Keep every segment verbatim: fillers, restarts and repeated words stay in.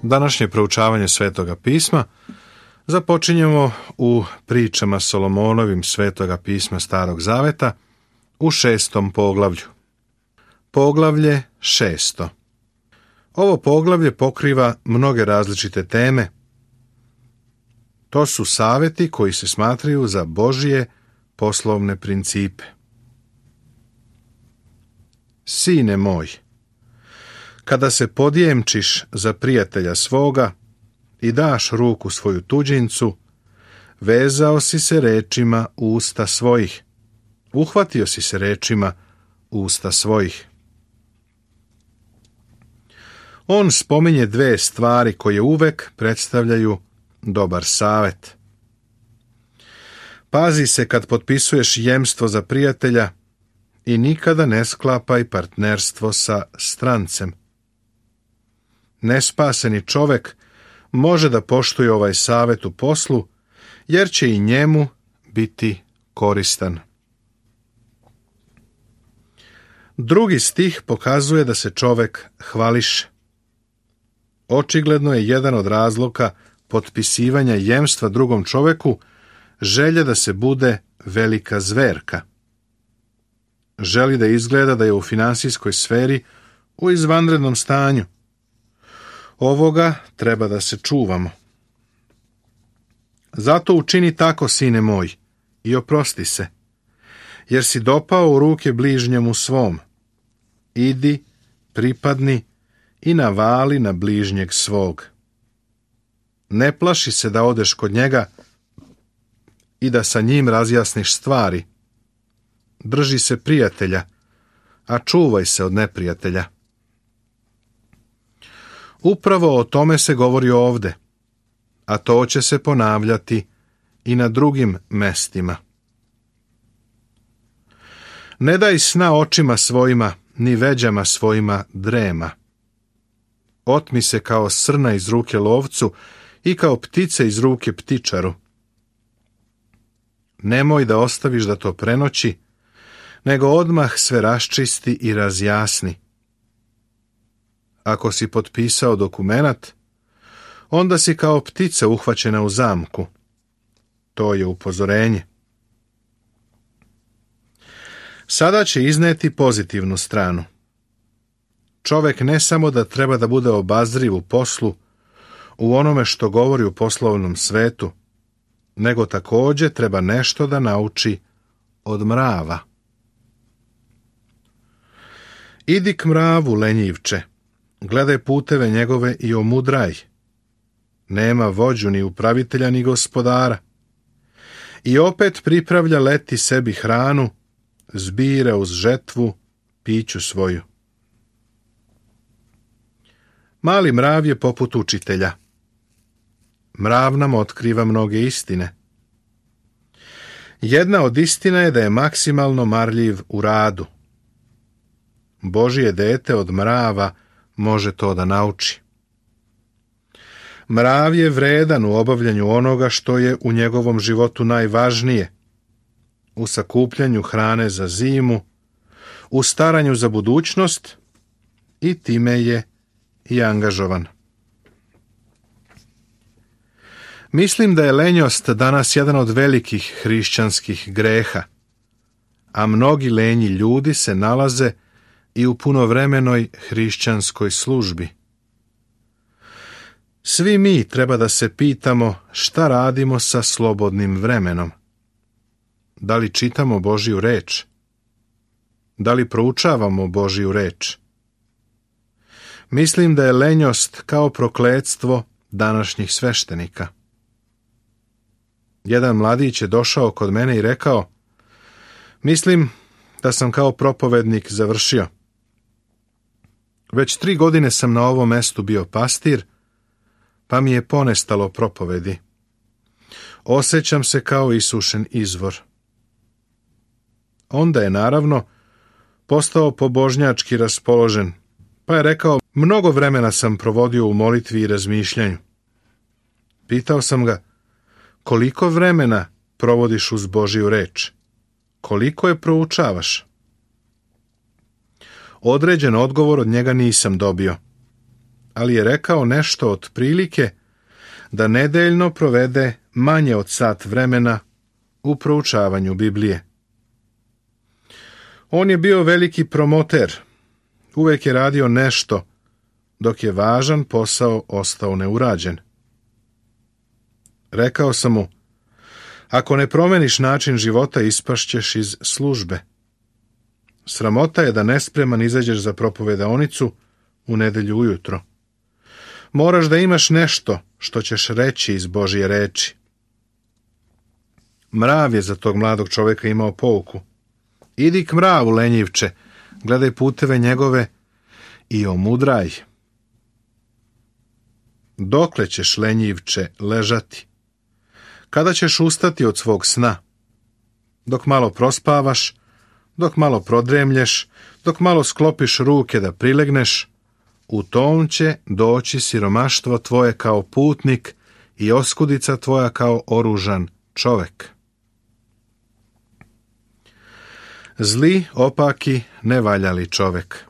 Današnje proučavanje Svetoga pisma započinjemo u pričama Solomonovim Svetoga pisma Starog Zaveta u šestom poglavlju. Poglavlje šesto. Ovo poglavlje pokriva mnoge različite teme. To su savjeti koji se smatraju za Božje poslovne principe. Sine moj, kada se podjemčiš za prijatelja svoga i daš ruku svoju tuđincu, vezao si se rečima usta svojih, uhvatio si se rečima usta svojih. On spominje dve stvari koje uvek predstavljaju dobar savjet. Pazi se kad potpisuješ jemstvo za prijatelja i nikada ne sklapaj partnerstvo sa strancem. Nespaseni čovek može da poštuje ovaj savjet u poslu, jer će i njemu biti koristan. Drugi stih pokazuje da se čovek hvališe. Očigledno je jedan od razloga potpisivanja jemstva drugom čoveku želja da se bude velika zverka. Želi da izgleda da je u finansijskoj sferi u izvanrednom stanju. Ovoga treba da se čuvamo. Zato učini tako, sine moj, i oprosti se, jer si dopao u ruke bližnjemu svom. Idi, pripadni i navali na bližnjeg svog. Ne plaši se da odeš kod njega i da sa njim razjasniš stvari. Drži se prijatelja, a čuvaj se od neprijatelja. Upravo o tome se govori ovde, a to će se ponavljati i na drugim mestima. Ne daj sna očima svojima, ni veđama svojima drema. Otmi se kao srna iz ruke lovcu i kao ptice iz ruke ptičaru. Nemoj da ostaviš da to prenoći, nego odmah sve raščisti i razjasni. Ako si potpisao dokumenat, onda si kao ptica uhvaćena u zamku. To je upozorenje. Sada će izneti pozitivnu stranu. Čovek ne samo da treba da bude obazriv u poslu, u onome što govori u poslovnom svetu, nego također treba nešto da nauči od mrava. Idi k mravu, lenjivče, gledaj puteve njegove i omudraj. Nema vođu ni upravitelja ni gospodara. I opet pripravlja leti sebi hranu, zbira uz žetvu piću svoju. Mali mrav je poput učitelja. Mrav nam otkriva mnoge istine. Jedna od istina je da je maksimalno marljiv u radu. Božje dete od mrava može to da nauči. Mrav je vredan u obavljanju onoga što je u njegovom životu najvažnije, u sakupljanju hrane za zimu, u staranju za budućnost i time je i angažovan. Mislim da je lenjost danas jedan od velikih hrišćanskih greha, a mnogi lenji ljudi se nalaze i u punovremenoj hrišćanskoj službi. Svi mi treba da se pitamo šta radimo sa slobodnim vremenom. Da li čitamo Božju reč? Da li proučavamo Božju reč? Mislim da je lenjost kao prokletstvo današnjih sveštenika. Jedan mladić je došao kod mene i rekao: mislim da sam kao propovednik završio. Već tri godine sam na ovom mestu bio pastir, pa mi je ponestalo propovedi. Osjećam se kao isušen izvor. Onda je naravno postao pobožnjački raspoložen, pa je rekao: mnogo vremena sam provodio u molitvi i razmišljanju. Pitao sam ga: koliko vremena provodiš uz Božju reč? Koliko je proučavaš? Određen odgovor od njega nisam dobio, ali je rekao nešto otprilike da nedeljno provede manje od sat vremena u proučavanju Biblije. On je bio veliki promoter, uvek je radio nešto, dok je važan posao ostao neurađen. Rekao sam mu, ako ne promeniš način života, ispašćeš iz službe. Sramota je da nespreman izađeš za propovedaonicu u nedelju ujutro. Moraš da imaš nešto što ćeš reći iz Božje reči. Mrav je za tog mladog čoveka imao pouku. Idi k mravu, lenjivče, gledaj puteve njegove i omudraj. Dokle ćeš, lenjivče, ležati? Kada ćeš ustati od svog sna? Dok malo prospavaš, dok malo prodremlješ, dok malo sklopiš ruke da prilegneš, u tom će doći siromaštvo tvoje kao putnik i oskudica tvoja kao oružan čovek. Zli, opaki, nevaljali čovek.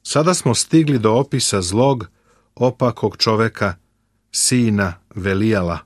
Sada smo stigli do opisa zlog, opakog čoveka, sina Velijala.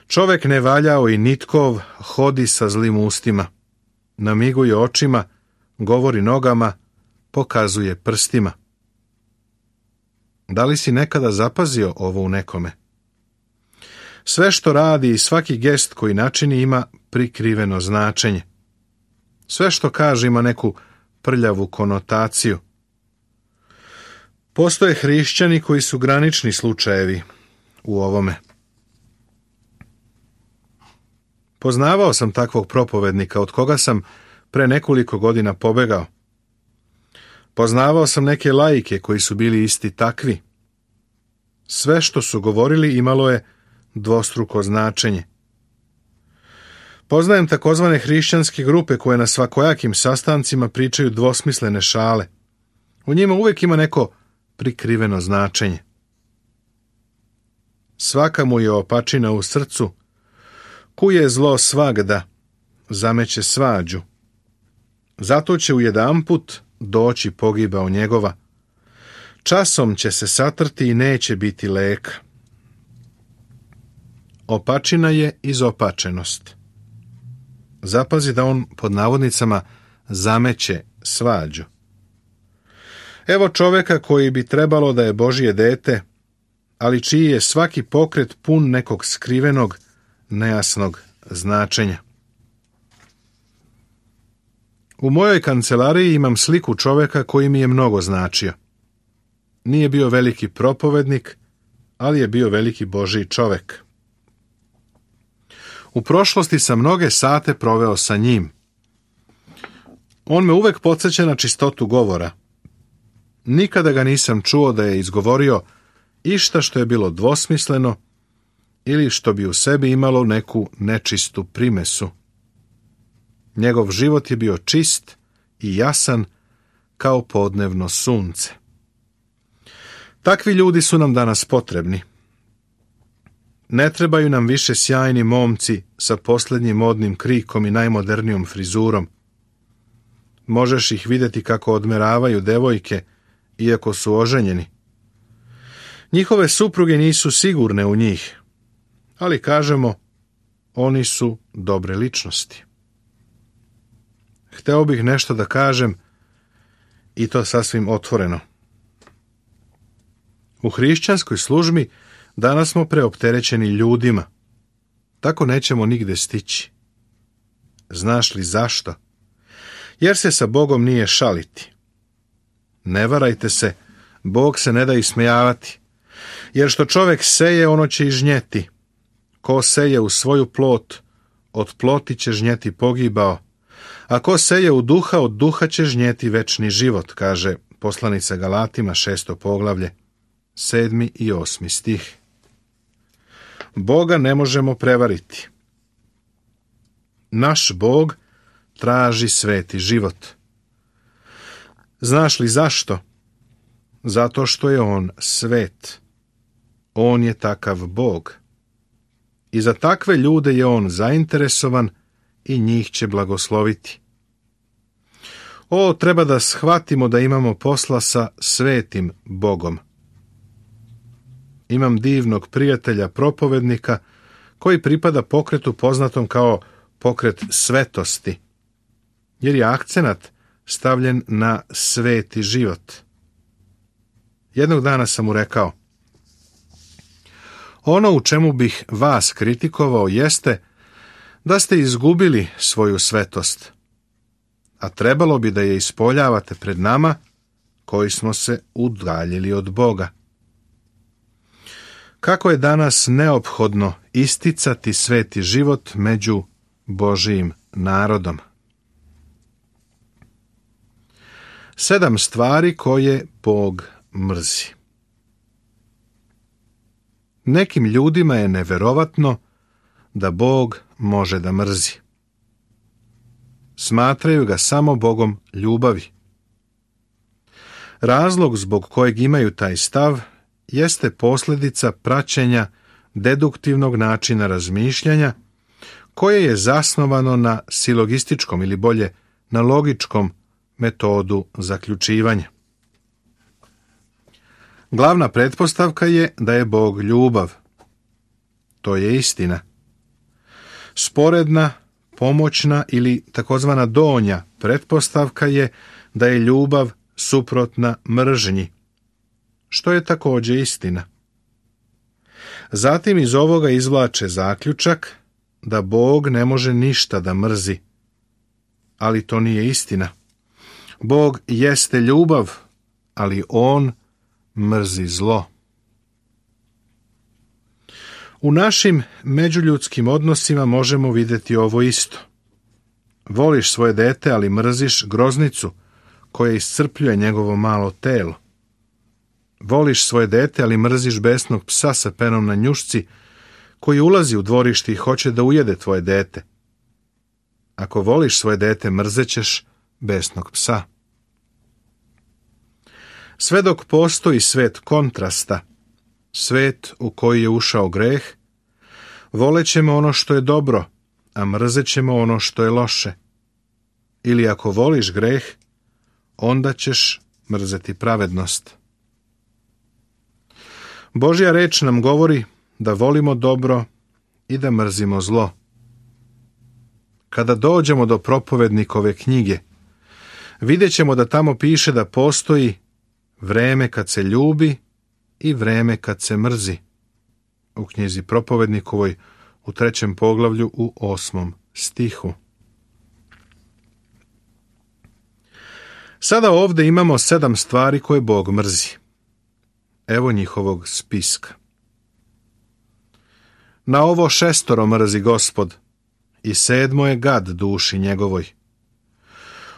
Čovek nevaljao i nitkov hodi sa zlim ustima, namiguje očima, govori nogama, pokazuje prstima. Da li si nekada zapazio ovo u nekome? Sve što radi i svaki gest koji načini ima prikriveno značenje. Sve što kaže ima neku prljavu konotaciju. Postoje hrišćani koji su granični slučajevi u ovome. Poznavao sam takvog propovednika od koga sam pre nekoliko godina pobegao. Poznavao sam neke laike koji su bili isti takvi. Sve što su govorili imalo je dvostruko značenje. Poznajem takozvane hrišćanske grupe koje na svakojakim sastancima pričaju dvosmislene šale. U njima uvek ima neko prikriveno značenje. Svaka mu je opačina u srcu, kuje zlo svagda, zameće svađu. Zato će ujedanput doći pogibao njegova. Časom će se satrti i neće biti leka. Opačina je izopačenost. Zapazi da on pod navodnicama zameće svađu. Evo čoveka koji bi trebalo da je Božje dete, ali čiji je svaki pokret pun nekog skrivenog, nejasnog značenja. U mojoj kancelariji imam sliku čoveka koji mi je mnogo značio. Nije bio veliki propovednik, ali je bio veliki Božji čovek. U prošlosti sam mnoge sate proveo sa njim. On me uvek podsjeća na čistotu govora. Nikada ga nisam čuo da je izgovorio išta što je bilo dvosmisleno ili što bi u sebi imalo neku nečistu primesu. Njegov život je bio čist i jasan kao podnevno sunce. Takvi ljudi su nam danas potrebni. Ne trebaju nam više sjajni momci sa posljednjim modnim krikom i najmodernijom frizurom. Možeš ih vidjeti kako odmeravaju devojke, iako su oženjeni. Njihove supruge nisu sigurne u njih, ali kažemo, oni su dobre ličnosti. Hteo bih nešto da kažem i to sasvim otvoreno. U hrišćanskoj službi danas smo preopterećeni ljudima. Tako nećemo nigde stići. Znaš li zašto? Jer se sa Bogom nije šaliti. Ne varajte se, Bog se ne da ismejavati. Jer što čovek seje, ono će i žnjeti. Ko seje u svoju plot, od ploti će žnjeti pogibao. A ko seje u duha, od duha će žnjeti večni život, kaže poslanica Galatima, šesto poglavlje, sedmi i osmi stih. Boga ne možemo prevariti. Naš Bog traži sveti život. Znaš li zašto? Zato što je on svet. On je takav Bog. I za takve ljude je on zainteresovan i njih će blagosloviti. O, treba da shvatimo da imamo posla sa svetim Bogom. Imam divnog prijatelja, propovednika, koji pripada pokretu poznatom kao pokret svetosti, jer je akcenat stavljen na sveti život. Jednog dana sam mu rekao: ono u čemu bih vas kritikovao jeste da ste izgubili svoju svetost, a trebalo bi da je ispoljavate pred nama koji smo se udaljili od Boga. Kako je danas neophodno isticati sveti život među Božijim narodom. Sedam stvari koje Bog mrzi. Nekim ljudima je neverovatno da Bog može da mrzi. Smatraju ga samo Bogom ljubavi. Razlog zbog kojeg imaju taj stav jeste posljedica praćenja deduktivnog načina razmišljanja koje je zasnovano na silogističkom ili bolje na logičkom metodu zaključivanja. Glavna pretpostavka je da je Bog ljubav. To je istina. Sporedna, pomoćna ili takozvana donja pretpostavka je da je ljubav suprotna mržnji, što je također istina. Zatim iz ovoga izvlače zaključak da Bog ne može ništa da mrzi, ali to nije istina. Bog jeste ljubav, ali on mrzi zlo. U našim međuljudskim odnosima možemo vidjeti ovo isto. Voliš svoje dete, ali mrziš groznicu koja iscrpljuje njegovo malo telo. Voliš svoje dete, ali mrziš besnog psa sa penom na njušci koji ulazi u dvorište i hoće da ujede tvoje dete. Ako voliš svoje dete, mrzećeš besnog psa. Sve dok postoji svet kontrasta, svet u koji je ušao greh, volećemo ono što je dobro, a mrzećemo ono što je loše. Ili ako voliš greh, onda ćeš mrzeti pravednost. Božja reč nam govori da volimo dobro i da mrzimo zlo. Kada dođemo do propovednikove knjige, vidjet ćemo da tamo piše da postoji vreme kad se ljubi i vreme kad se mrzi. U knjizi propovednikovoj u trećem poglavlju u osmom stihu. Sada ovdje imamo sedam stvari koje Bog mrzi. Evo njihovog spiska. Na ovo šestoro mrzi Gospod, i sedmo je gad duši njegovoj.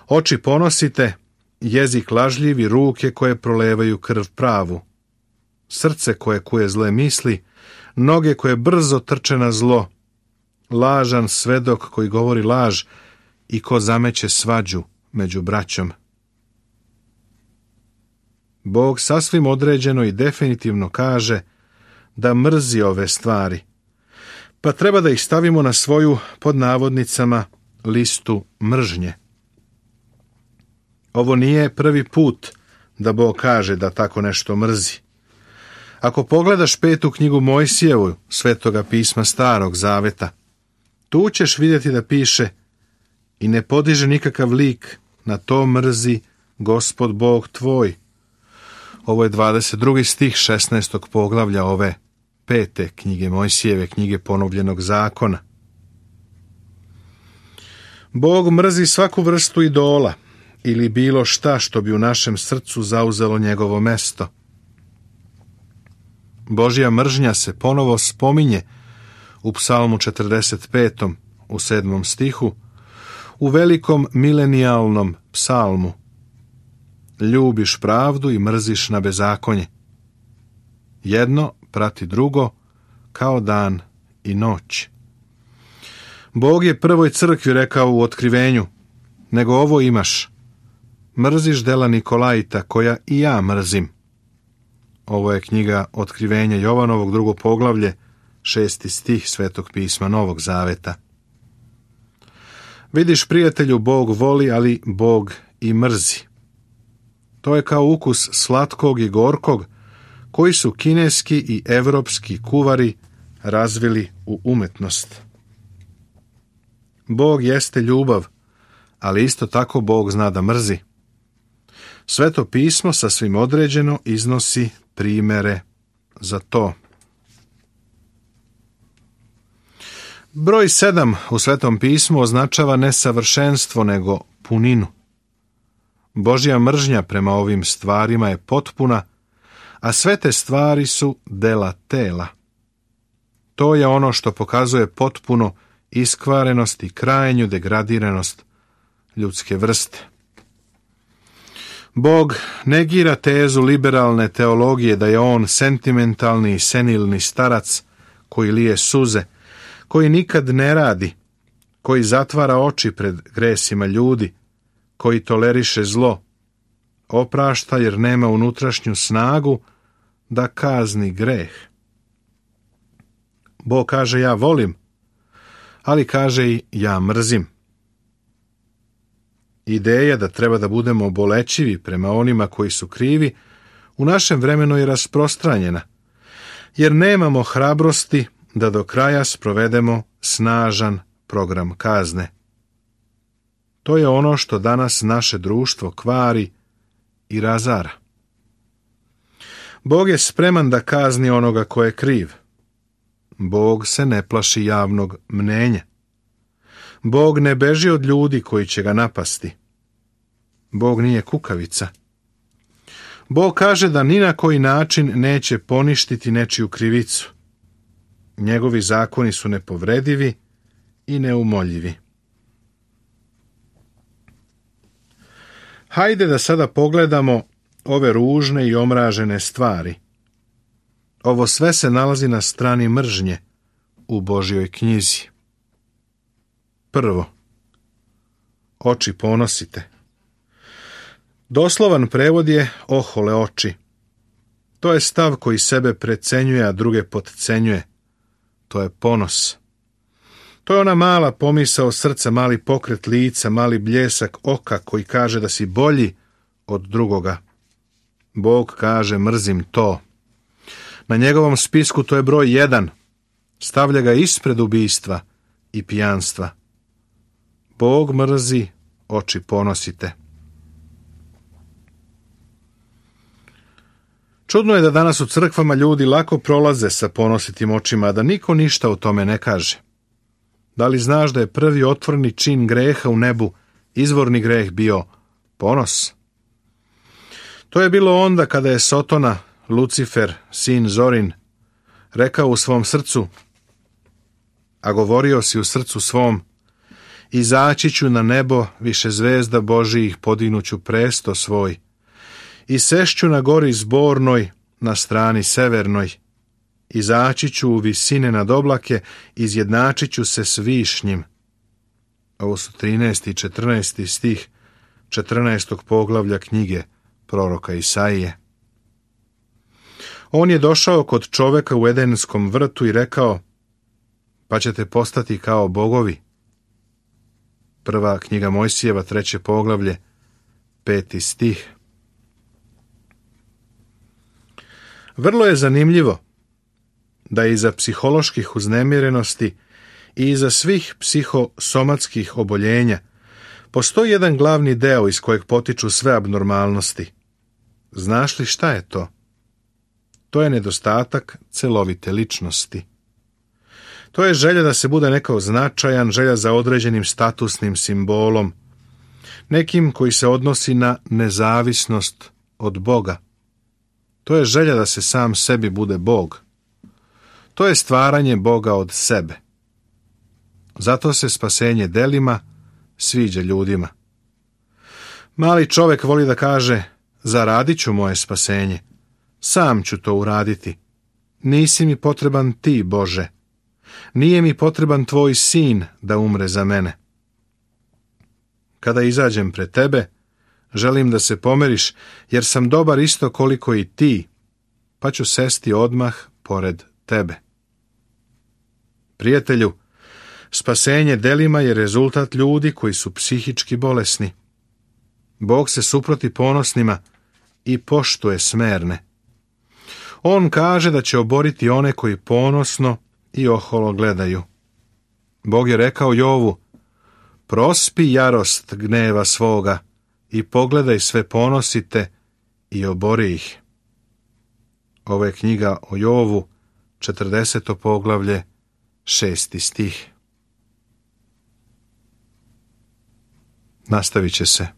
Oči ponosite, jezik lažljivi, ruke koje prolevaju krv pravu, srce koje kuje zle misli, noge koje brzo trče na zlo, lažan svedok koji govori laž i ko zameće svađu među braćom. Bog sasvim određeno i definitivno kaže da mrzi ove stvari, pa treba da ih stavimo na svoju, pod navodnicama, listu mržnje. Ovo nije prvi put da Bog kaže da tako nešto mrzi. Ako pogledaš petu knjigu Mojsijevu, Svetoga pisma Starog Zaveta, tu ćeš vidjeti da piše: i ne podiže nikakav lik, na to mrzi Gospod Bog tvoj. Ovo je dvadeset drugi stih šesnaestog poglavlja ove pete knjige Mojsijeve, knjige ponovljenog zakona. Bog mrzi svaku vrstu idola ili bilo šta što bi u našem srcu zauzelo njegovo mesto. Božja mržnja se ponovo spominje u Psalmu četrdeset petom u sedmom stihu, u velikom milenijalnom psalmu. Ljubiš pravdu i mrziš na bezakonje. Jedno prati drugo kao dan i noć. Bog je prvoj crkvi rekao u otkrivenju: nego ovo imaš, mrziš dela Nikolajita koja i ja mrzim. Ovo je knjiga Otkrivenja Jovanovog, drugo poglavlje, šesti stih Svetog pisma Novog Zaveta. Vidiš, prijatelju, Bog voli, ali Bog i mrzi. To je kao ukus slatkog i gorkog koji su kineski i evropski kuvari razvili u umetnost. Bog jeste ljubav, ali isto tako Bog zna da mrzi. Sveto pismo sasvim određeno iznosi primere za to. Broj sedam u Svetom pismu označava ne savršenstvo, nego puninu. Božja mržnja prema ovim stvarima je potpuna, a sve te stvari su dela tela. To je ono što pokazuje potpuno iskvarenost i krajnju degradiranost ljudske vrste. Bog negira tezu liberalne teologije da je on sentimentalni i senilni starac koji lije suze, koji nikad ne radi, koji zatvara oči pred gresima ljudi, koji toleriše zlo, oprašta jer nema unutrašnju snagu da kazni greh. Bog kaže ja volim, ali kaže i ja mrzim. Ideja da treba da budemo bolećivi prema onima koji su krivi u našem vremenu je rasprostranjena, jer nemamo hrabrosti da do kraja sprovedemo snažan program kazne. To je ono što danas naše društvo kvari i razara. Bog je spreman da kazni onoga ko je kriv. Bog se ne plaši javnog mnenja. Bog ne beži od ljudi koji će ga napasti. Bog nije kukavica. Bog kaže da ni na koji način neće poništiti nečiju krivicu. Njegovi zakoni su nepovredivi i neumoljivi. Hajde da sada pogledamo ove ružne i omražene stvari. Ovo sve se nalazi na strani mržnje u Božjoj knjizi. Prvo, oči ponosite. Doslovan prevod je ohole oči. To je stav koji sebe precenjuje, a druge potcenjuje. To je ponos. To je ona mala pomisao srca, mali pokret lica, mali bljesak oka koji kaže da si bolji od drugoga. Bog kaže mrzim to. Na njegovom spisku to je broj jedan. Stavlja ga ispred ubistva i pijanstva. Bog mrzi, oči ponosite. Čudno je da danas u crkvama ljudi lako prolaze sa ponositim očima, a da niko ništa o tome ne kaže. Da li znaš da je prvi otvorni čin greha u nebu, izvorni greh bio ponos? To je bilo onda kada je Sotona, Lucifer, sin Zorin, rekao u svom srcu, a govorio si u srcu svom, izaći ću na nebo, više zvezda Božijih podignuću presto svoj, i sešću na gori zbornoj, na strani severnoj, izaći ću u visine nad oblake, izjednačit ću se s višnjim. Ovo su trinaesti i četrnaesti stih četrnaestog poglavlja knjige proroka Isaije. On je došao kod čoveka u Edenskom vrtu i rekao, pa ćete postati kao bogovi. Prva knjiga Mojsijeva, treće poglavlje, peti stih. Vrlo je zanimljivo da iza psiholoških uznemirenosti i iza svih psihosomatskih oboljenja postoji jedan glavni deo iz kojeg potiču sve abnormalnosti. Znaš li šta je to? To je nedostatak celovite ličnosti. To je želja da se bude nekao značajan, želja za određenim statusnim simbolom, nekim koji se odnosi na nezavisnost od Boga. To je želja da se sam sebi bude Bog. To je stvaranje Boga od sebe. Zato se spasenje delima sviđa ljudima. Mali čovjek voli da kaže, zaradit ću moje spasenje, sam ću to uraditi. Nisi mi potreban ti, Bože. Nije mi potreban tvoj sin da umre za mene. Kada izađem pred tebe, želim da se pomeriš, jer sam dobar isto koliko i ti, pa ću sesti odmah pored tebe. Prijatelju, spasenje delima je rezultat ljudi koji su psihički bolesni. Bog se suproti ponosnima i poštuje smerne. On kaže da će oboriti one koji ponosno i oholo gledaju. Bog je rekao Jovu: prospi jarost gneva svoga i pogledaj sve ponosite i obori ih. Ovo je knjiga o Jovu, četrdeseto poglavlje, šesti stih. Nastavit će se.